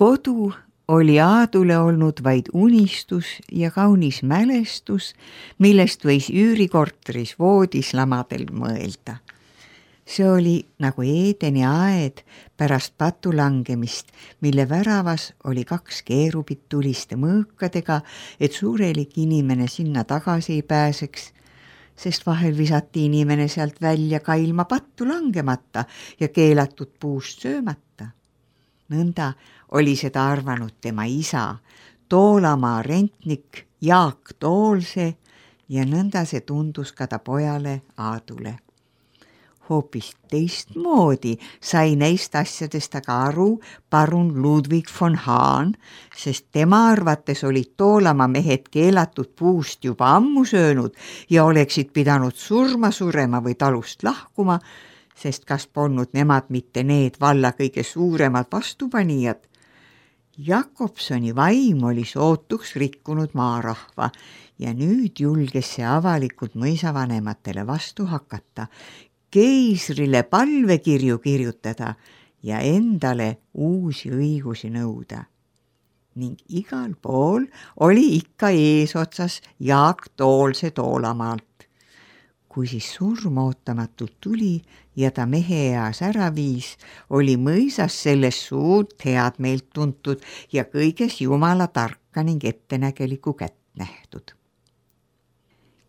Kodu oli Aadule olnud vaid unistus ja kaunis mälestus, millest võis üürikorteris voodis lamadel mõelda. See oli nagu Eedeni aed pärast patu langemist, mille väravas oli 2 keerubit tuliste mõõkadega, et suurelik inimene sinna tagasi ei pääseks, sest vahel visati inimene sealt välja ka ilma pattu langemata ja keelatud puust söömata. Nõnda oli seda arvanud tema isa, Toolamaa rentnik Jaak Toolse, ja nõnda see tundus ka ta pojale Aadule. Hoopis teistmoodi sai neist asjadest aga aru parun Ludwig von Hahn, sest tema arvates olid Toolamaa mehed keelatud puust juba ammu söönud ja oleksid pidanud surema või talust lahkuma, sest kas polnud nemad mitte need valla kõige suuremad vastupanijad. Jakobsoni vaim oli sootuks rikkunud maarahva ja nüüd julges see avalikult mõisavanematele vastu hakata, keisrile palvekirju kirjutada ja endale uusi õigusi nõuda. Ning igal pool oli ikka eesotsas Jaak Toolse Toolamaalt. Kui siis surm ootamatult tuli ja ta mehe eas ära viis, oli mõisas selles suurt head meelt tuntud ja kõiges Jumala tarka ning ettenägelikku kätt nähtud.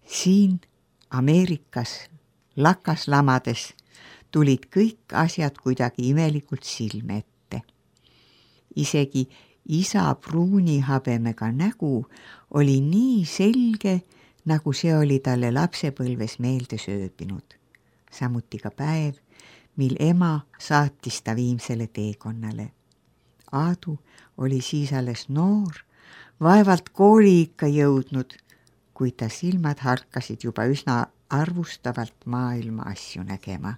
Siin Ameerikas lakaslamades tulid kõik asjad kuidagi imelikult silme ette. Isegi isa pruunihabemega nägu oli nii selge, nagu see oli talle lapsepõlves meelde sööbinud. Samuti ka päev, mil ema saatis ta viimsele teekonnale. Aadu oli siis alles noor, vaevalt kooli ikka jõudnud, kuid ta silmad harkasid juba üsna arvustavalt maailma asju nägema.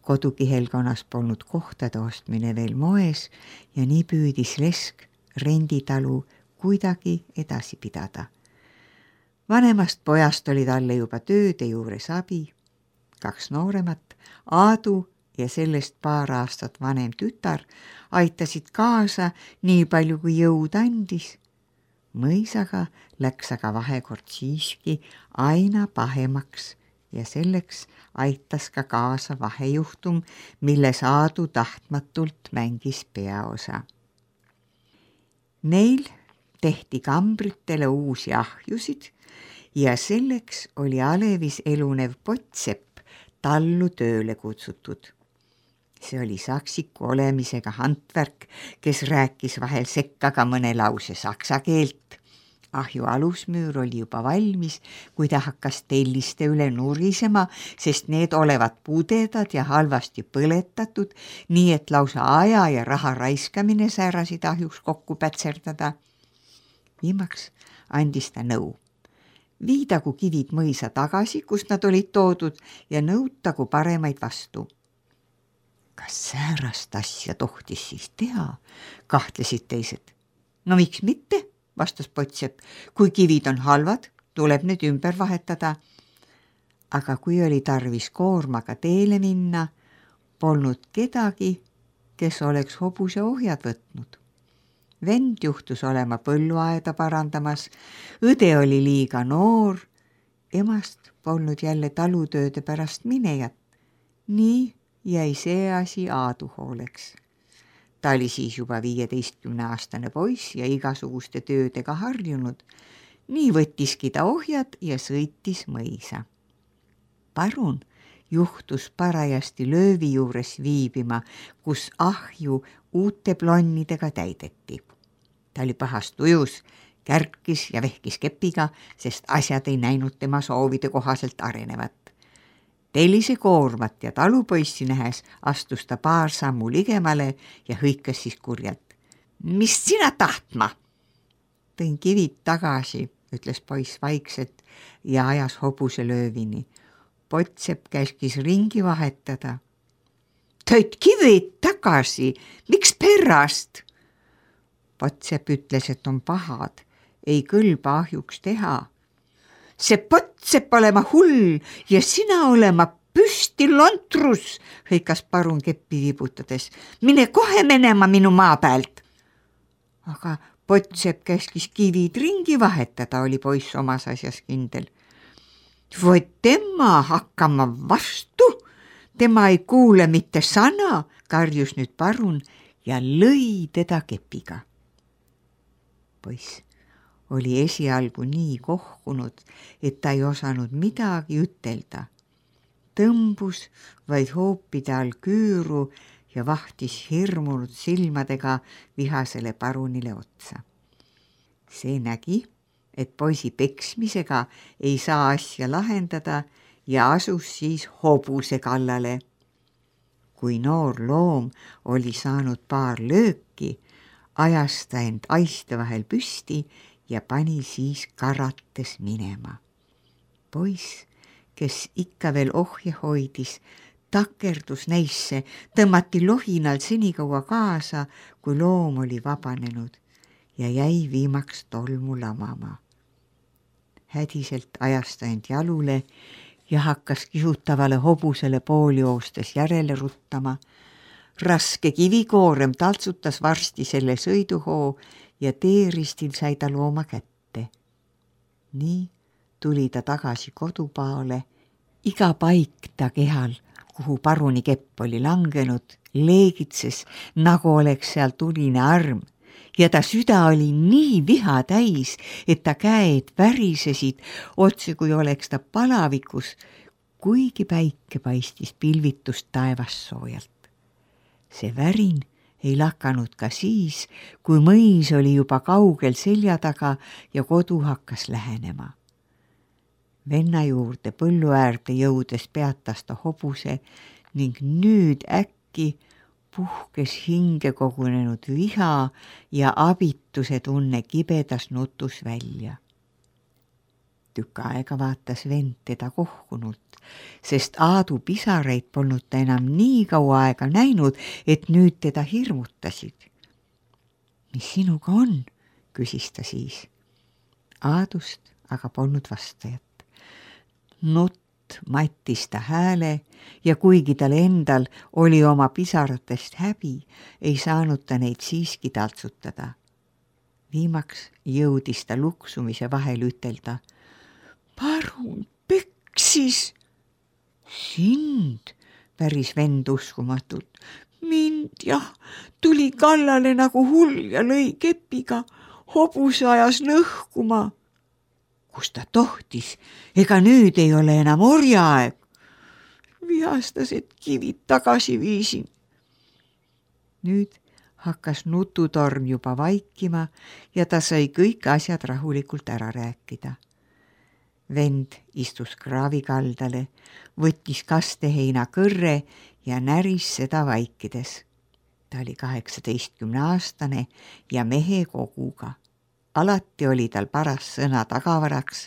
Kodukihelkonnas polnud kohtade ostmine veel moes ja nii püüdis Lesk renditalu kuidagi edasi pidada. Vanemast pojast oli talle juba tööde juures abi, 2 nooremat, Aadu ja sellest paar aastat vanem tütar aitasid kaasa nii palju kui jõud andis. Mõisaga läks aga vahekord siiski aina pahemaks ja selleks aitas ka kaasa vahejuhtum, milles Aadu tahtmatult mängis peaosa. Neil tehti kambritele uusi ahjusid ja selleks oli alevis elunev Potsepp tallu tööle kutsutud. See oli saksiku olemisega handvärk, kes rääkis vahel sekka ka mõne lause saksa keelt. Ahju alusmüür oli juba valmis, kui ta hakkas telliste üle nurisema, sest need olevat pudedad ja halvasti põletatud, nii et lausa aja ja raha raiskamine säärasid ahjuks kokku pätserdada. Viimaks andis ta nõu. Viidagu kivid mõisa tagasi, kust nad olid toodud, ja nõutagu paremaid vastu. Kas säärast asja tohtis siis teha, kahtlesid teised. No miks mitte, vastas Potsepp, kui kivid on halvad, tuleb need ümber vahetada. Aga kui oli tarvis koormaga teele minna, polnud kedagi, kes oleks hobuse ohjad võtnud. Vend juhtus olema põlluaeda parandamas, õde oli liiga noor, emast polnud jälle talutööde pärast minejat. Nii jäi see asi Aadu hooleks. Ta oli siis juba 15-aastane poiss ja igasuguste töödega harjunud. Nii võttiski ta ohjad ja sõitis mõisa. Parun juhtus parajasti löövi juures viibima, kus ahju uute plonnidega täideti. Ta oli pahast ujus, kärkis ja vehkis kepiga, sest asjad ei näinud tema soovide kohaselt arenevat. Tellise koormat ja talupoissi nähes astus ta paar sammu ligemale ja hõikas siis kurjalt. Mis sina tahtma? Tõin kivid tagasi, ütles poiss vaikselt ja ajas hobuse löövini. Potsepp käskis ringi vahetada. Tõid kivid tagasi, miks pärast? Potsepp ütles, et on pahad, ei kõlba ahjuks teha. See Potsepp olema hull ja sina olema püsti lontrus, hõikas parun keppi vibutades. Mine kohe menema minu maa pealt. aga Potsepp käskis kivid ringi vahetada, oli poiss omas asjas kindel. Vot tema hakkama vastu, tema ei kuule mitte sana, karjus nüüd parun ja lõi teda kepiga. Poiss oli esialgu nii kohkunud, et ta ei osanud midagi ütelda. Tõmbus vaid hoopide all küüru ja vahtis hirmunud silmadega vihasele parunile otsa. See nägi, et poisi peksmisega ei saa asja lahendada ja asus siis hobuse kallale. Kui noor loom oli saanud paar lööki, ajas ta end aiste vahel püsti ja pani siis karates minema. Poiss, kes ikka veel ohje hoidis, takerdus neisse, tõmmati lohinal senikaua kaasa, kui loom oli vabanenud ja jäi viimaks tolmu lamama. Hädiselt ajas ta end jalule ja hakkas kihutavale hobusele pooljoostes järele ruttama. Raske kivikoorem taltsutas varsti selle sõiduhoo ja teeristil sai ta looma kätte. Nii tuli ta tagasi kodupaale. Iga paik ta kehal, kuhu paruni kepp oli langenud, leegitses, nagu oleks seal tuline arm ja ta süda oli nii viha täis, et ta käed värisesid, otse kui oleks ta palavikus, kuigi päike paistis pilvitust taevast soojalt. See värin ei lakanud ka siis, kui mõis oli juba kaugel selja taga ja kodu hakkas lähenema. Venna juurde põllu äärde jõudes peatas ta hobuse ning nüüd äkki puhkes hinge kogunenud viha ja abituse tunne kibedas nutus välja. Tükk aega vaatas vend teda kohkunult, sest Aadu pisareid polnud ta enam nii kaua aega näinud, et nüüd teda hirmutasid. Mis sinuga on? Küsis ta siis. Aadust aga polnud vastajat. Nutt mattis ta hääle ja kuigi tal endal oli oma pisaratest häbi, ei saanud ta neid siiski taltsutada. Viimaks jõudis ta luksumise vahel ütelda. Parun peksis. Sind, päris vend uskumatult. Mind jah, tuli kallale nagu hull ja lõi kepiga, hobuse ajas lõhkuma. Kus ta tohtis, ega nüüd ei ole enam orjaaeg. Vihastas, et kivid tagasi viisin. Nüüd hakkas nututorm juba vaikima ja ta sai kõik asjad rahulikult ära rääkida. Vend istus kraavi kaldale, võttis kasteheina kõrre ja näris seda vaikides. Ta oli 18-aastane ja mehe koguga. Alati oli tal paras sõna tagavaraks,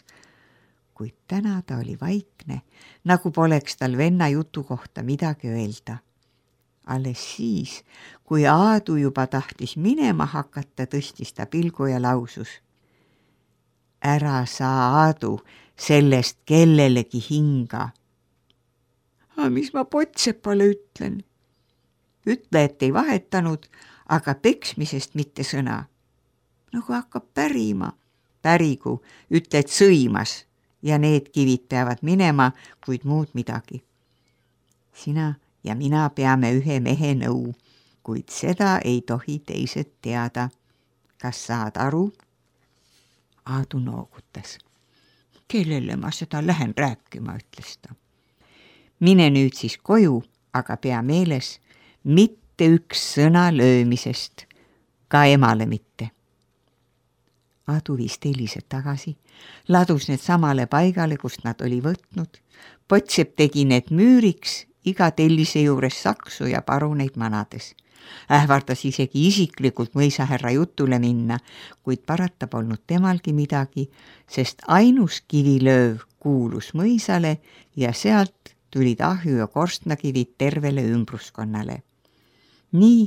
kuid täna ta oli vaikne, nagu poleks tal venna jutu kohta midagi öelda. Alles siis, kui Aadu juba tahtis minema hakata, tõstis ta pilgu ja lausus. Ära saa, Aadu, sellest kellelegi hinga. Mis ma Potsepale ütlen? Ütle, et ei vahetanud, aga peksmisest mitte sõna. Nagu hakkab pärima. Pärigu, ütle, et sõimas ja need kivid peavad minema, kuid muud midagi. Sina ja mina peame ühe mehe nõu, kuid seda ei tohi teised teada. Kas saad aru? Aadu noogutas. Kellele ma seda lähen rääkima, ütles ta. Mine nüüd siis koju, aga pea meeles, mitte üks sõna löömisest, ka emale mitte. Aadu viis tellised tagasi, ladus need samale paigale, kust nad oli võtnud. Potsepp tegi need müüriks, iga tellise juures saksu ja paruneid manades. Ähvardas isegi isiklikult mõisahärra jutule minna, kuid parata polnud temalgi midagi, sest ainus kivilööv kuulus mõisale ja sealt tulid ahju ja korstnakivid tervele ümbruskonnale. Nii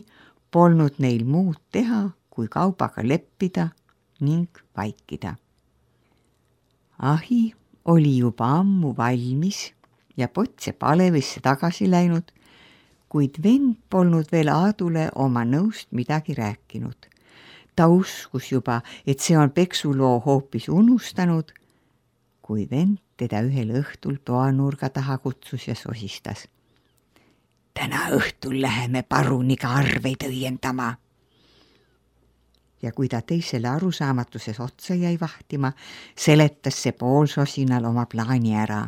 polnud neil muud teha, kui kaubaga leppida ning vaikida. Ahi oli juba ammu valmis ja Potsepp Alevisse tagasi läinud, kuid vend polnud veel Aadule oma nõust midagi rääkinud. Ta uskus juba, et see on peksuloo hoopis unustanud, kui vend teda ühel õhtul toanurga taha kutsus ja sosistas. Täna õhtul läheme paruniga arveid õiendama. Ja kui ta teisele arusaamatuses otsa jäi vahtima, seletas see poolsosinal oma plaani ära.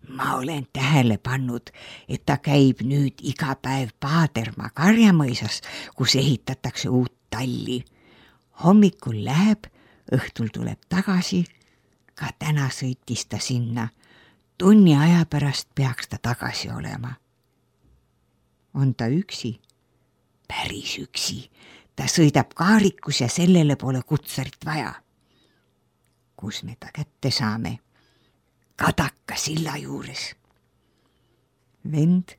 Ma olen tähele pannud, et ta käib nüüd iga päev Paadermaa karjamõisas, kus ehitatakse uut talli. Hommikul läheb, õhtul tuleb tagasi. Ka täna sõitis ta sinna. Tunni aja pärast peaks ta tagasi olema. On ta üksi? Päris üksi. Ta sõidab kaarikus ja sellele pole kutsarit vaja. Kus me ta kätte saame? Kadaka silla juures. Vend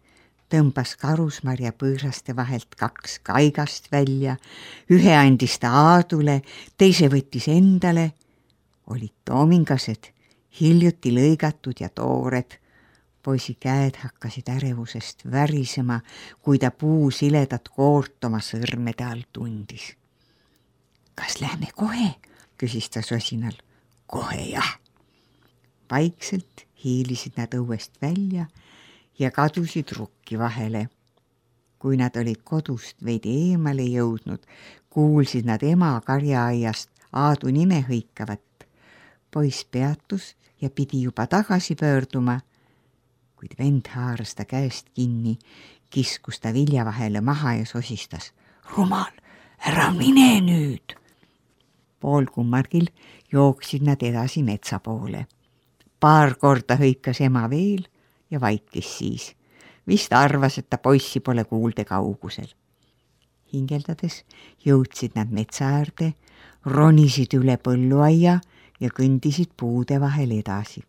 tõmbas karusmarja põõsaste vahelt 2 kaigast välja, ühe andis ta Aadule, teise võttis endale. Olid toomingased, hiljuti lõigatud ja toored. Poisi käed hakkasid ärevusest värisema, kui ta puusiledat koort oma sõrmede all tundis. Kas lähme kohe? Küsis ta sosinal. Kohe jah. Vaikselt hiilisid nad õuest välja ja kadusid rukki vahele. Kui nad olid kodust veidi eemale jõudnud, kuulsid nad ema karjaaiast Aadu nime hõikavat. Poiss peatus ja pidi juba tagasi pöörduma, kuid vend haaras ta käest kinni, kiskus ta vilja vahele maha ja sosistas. Rumal, ära mine nüüd! Poolkummargil jooksid nad edasi metsa poole. Paar korda hõikas ema veel ja vaikis siis. Vist arvas, et ta poissi pole kuulde kaugusel. Hingeldades jõudsid nad metsa äärde, ronisid üle põlluaia ja kõndisid puude vahel edasi.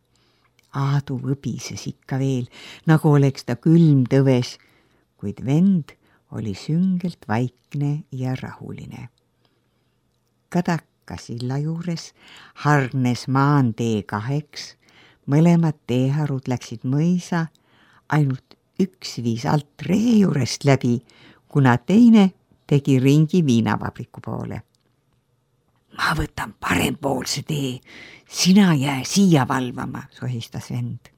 Aadu võbises ikka veel, nagu oleks ta külm tõves, kuid vend oli süngelt vaikne ja rahuline. Kadaka silla juures hargnes maantee 2, mõlemad teeharud läksid mõisa, ainult üks viis alt ree juurest läbi, kuna teine tegi ringi viinavabriku poole. Ma võtan parempoolse tee, sina jää siia valvama, sohistas vend.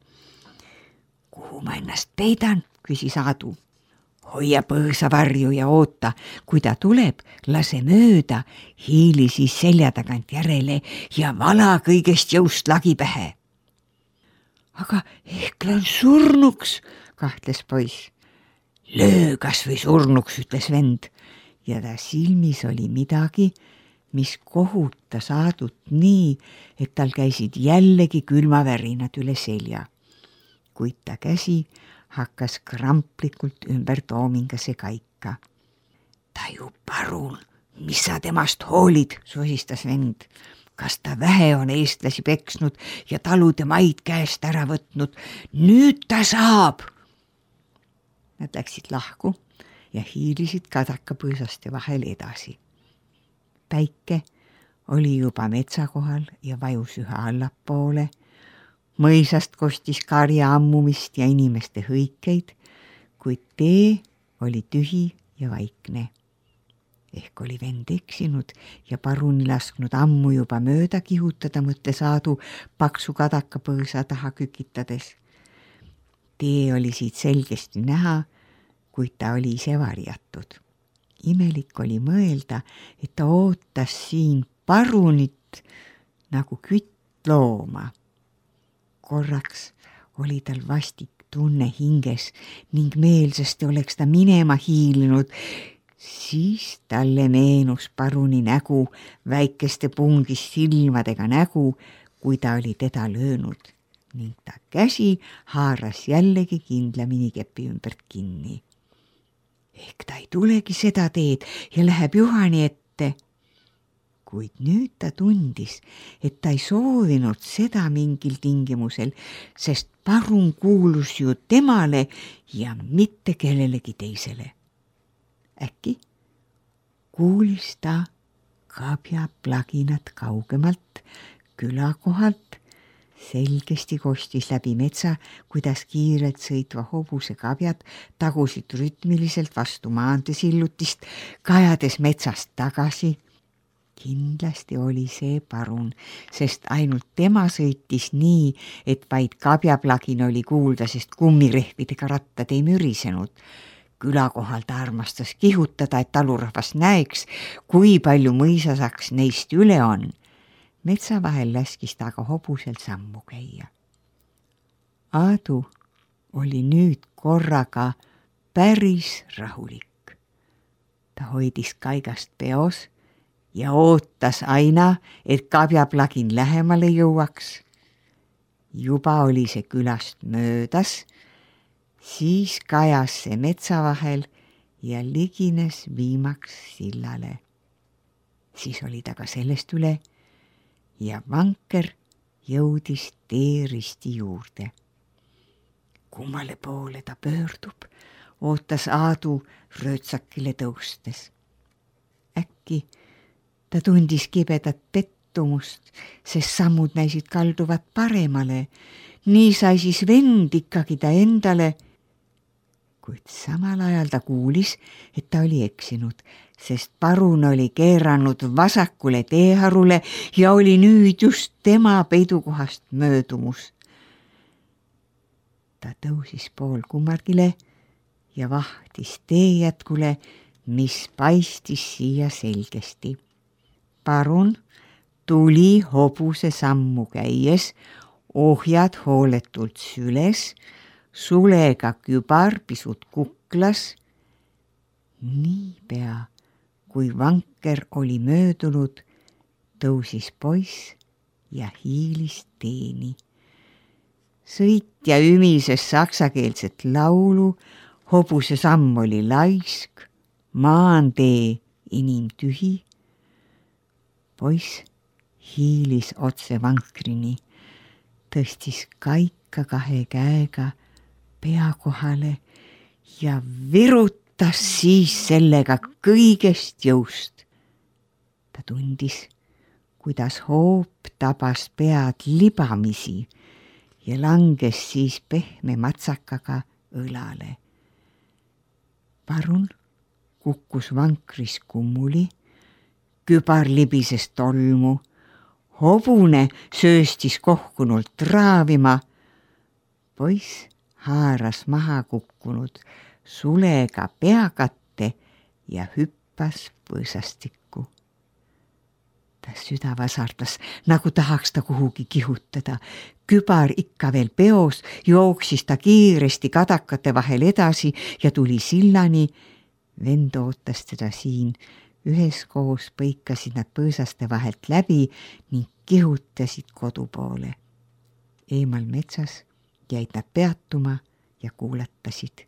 Kuhu ma ennast peidan, küsis Aadu. Hoia põõsa varju ja oota, kui ta tuleb, lase mööda, hiili siis selja tagant järele ja vala kõigest jõust lagi pähe. Aga ehk lähen surnuks, kahtles poiss. Löö kas või surnuks, ütles vend ja ta silmis oli midagi, mis kohutas Aadut nii, et tal käisid jällegi külmavärinad üle selja. Kuid ta käsi hakkas kramplikult ümber toomingase kaika. Taju parun, mis sa temast hoolid, sosistas vend. Kas ta vähe on eestlasi peksnud ja talude maid käest ära võtnud? Nüüd ta saab! Nad läksid lahku ja hiilisid kadaka põõsaste vahel edasi. Päike oli juba metsa kohal ja vajus üha allapoole. Mõisast kostis karja ammumist ja inimeste hõikeid, kuid tee oli tühi ja vaikne. Ehk oli vend eksinud ja paruni lasknud ammu juba mööda kihutada, mõtles Aadu paksu kadaka põõsa taha kükitades. Tee oli siit selgesti näha, kuid ta oli ise varjatud. Imelik oli mõelda, et ta ootas siin parunit nagu küttlooma. Korraks oli tal vastik tunne hinges ning meelsasti oleks ta minema hiilinud. Siis talle meenus paruni nägu, väikeste pungis silmadega nägu, kui ta oli teda löönud ning ta käsi haaras jällegi kindlamini kepi ümbert kinni. Ehk ta ei tulegi seda teed ja läheb Juhani ette. Kuid nüüd ta tundis, et ta ei soovinud seda mingil tingimusel, sest parun kuulus ju temale ja mitte kellelegi teisele. Äkki kuulis ta kabjaplaginat kaugemalt külakohalt. Selgesti kostis läbi metsa, kuidas kiirelt sõitva hobuse kabjad tagusid rütmiliselt vastu maanteesillutist, kajades metsast tagasi, Kindlasti oli see Parun, sest ainult tema sõitis nii, et vaid kabjaplagin oli kuulda, sest kummirehvidega rattad ei mürisenud. Külakohal ta armastas kihutada, et talurahvas näeks, kui palju mõisasaks neist üle on. Metsa vahel laskis ta aga hobusel sammu käia. Aadu oli nüüd korraga päris rahulik. Ta hoidis kaigast peos ja ootas aina, et kabjaplagin lähemale jõuaks. Juba oli see külast möödas, siis kajas see metsa vahel ja ligines viimaks sillale. Siis oli ta ka sellest üle ja vanker jõudis teeristi juurde. Kummale poole ta pöördub, ootas Aadu röötsakile tõustes. Äkki ta tundis kibedat pettumust, sest sammud näisid kalduvat paremale. Nii sai siis vend ikkagi ta endale, kuid samal ajal ta kuulis, et ta oli eksinud, sest Parun oli keeranud vasakule teeharule ja oli nüüd just tema peidukohast möödumus. Ta tõusis pool kummargile ja vahtis teejätkule, mis paistis siia selgesti. Parun tuli hobuse sammu käies, ohjad hooletult süles, sulega kübar pisut kuklas. Niipea, kui vanker oli möödunud, tõusis poiss ja hiilis teeni. Sõitja ümises saksakeelset laulu, hobuse samm oli laisk, maantee inimtühi. Poiss hiilis otse vankrini, tõstis kaika kahe käega pea kohale ja virutas siis sellega kõigest jõust. Ta tundis, kuidas hoop tabas pead libamisi ja langes siis pehme matsakaga õlale. Parun kukkus vankris kummuli, kübar libises tolmu, hobune sööstis kohkunult raavima. Poiss haaras maha kukkunud sulega peakatte ja hüppas põõsastikku. Ta süda vasardas, nagu tahaks ta kuhugi kihutada. Kübar ikka veel peos, jooksis ta kiiresti kadakate vahel edasi ja tuli sillani. Vend ootas teda siin. Üheskoos põikasid nad põõsaste vahelt läbi ning kihutasid kodu poole. Eemal metsas jäid nad peatuma ja kuulatasid.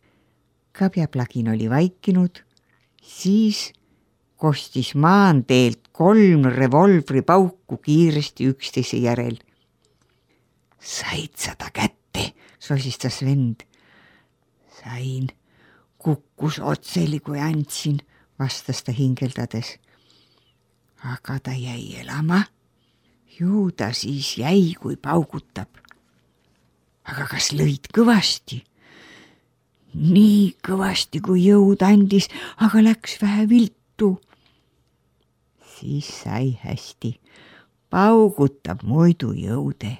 Kabjaplagin oli vaikinud, siis kostis maanteelt 3 revolvripauku kiiresti üksteise järel. Said sa ta kätte, sosistas vend. Sain, kukkus otseli, kui andsin, vastas ta hingeldades. Aga ta jäi elama. Ju ta siis jäi, kui paugutab. Aga kas lõid kõvasti? Nii kõvasti, kui jõud andis, aga läks vähe viltu. Siis sai hästi. Paugutab muidu jõude.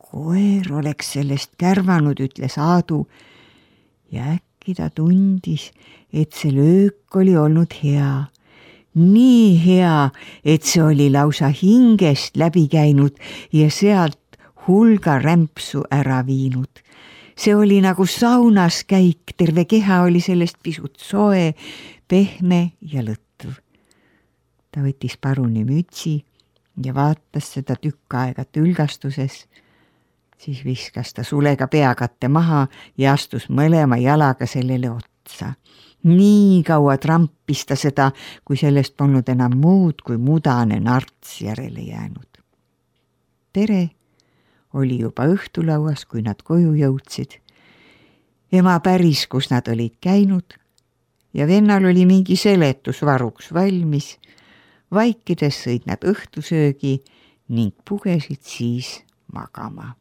Koer oleks sellest kärvanud, ütles Aadu, ja äkki ta tundis, et see löök oli olnud hea. Nii hea, et see oli lausa hingest läbi käinud ja sealt hulga rämpsu ära viinud. See oli nagu saunas käik, terve keha oli sellest pisut soe, pehme ja lõtv. Ta võttis Paruni mütsi ja vaatas seda tükk aega tülgastuses. Siis viskas ta sulega peakatte maha ja astus mõlema jalaga sellele otsa. Nii kaua trampis ta seda, kui sellest polnud enam muud kui mudane narts järele jäänud. Tere oli juba õhtulauas, kui nad koju jõudsid. Ema päris, kus nad olid käinud ja vennal oli mingi seletus varuks valmis. Vaikides sõid nad õhtusöögi ning pugesid siis magama.